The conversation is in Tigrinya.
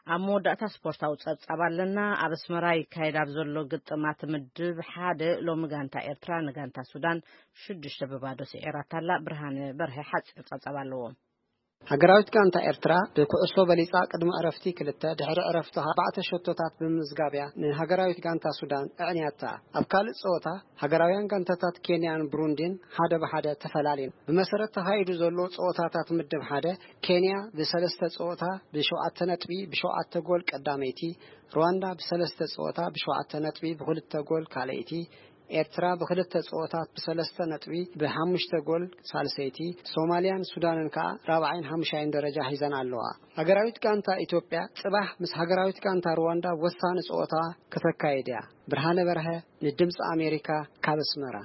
ኣብ መወዳእታ ስፖርታዊ ጸብጻብ ኣለና። ኣብ ኣስመራ ይካየድ ኣብ ዘሎ ግጥማት ምድብ ሓደ ሎሚ ጋንታ ኤርትራ ንጋንታ ሱዳን ሽዱሽተ ብባዶ ስዒራታ ኣላ። ብርሃነ በርሀ ሓጺር ጸብጻብ ኣለዎ። ሃገራዊት ጋንታ ኤርትራ ብኩዕሶ በሊጻ ቅድሚ ዕረፍቲ ክልተ ድሕሪ ዕረፍቲ ኣርባዕተ ሸቶታት ብምምዝጋብ እያ ንሃገራዊት ጋንታ ሱዳን ኣዕንያታ። ኣብ ካልእ ጸወታ ሃገራውያን ጋንታታት ኬንያን ብሩንዲን ሓደ ብሓደ ተፈላልየን። ብመሰረት ተኻይዱ ዘሎ ጸወታታት ምድብ ሓደ ኬንያ ብሰለስተ ጸወታ ብሸውዓተ ነጥቢ ብሸውዓተ ጎል ቀዳመይቲ፣ ሩዋንዳ ብሰለስተ ጸወታ ብሸውዓተ ነጥቢ ብኽልተ ጎል ካልኣይቲ፣ ኤርትራ ብኽልተ ጸወታት ብሰለስተ ነጥቢ ብሓሙሽተ ጎል ሳልሰይቲ፣ ሶማልያን ሱዳንን ከኣ ራብዓይን ሓሙሻይን ደረጃ ሒዘን ኣለዋ። ሃገራዊት ጋንታ ኢትዮጵያ ጽባሕ ምስ ሃገራዊት ጋንታ ሩዋንዳ ወሳኒ ጸወታ ከተካይድ እያ። ብርሃነ በርሀ ንድምፂ ኣሜሪካ ካብ ኣስመራ።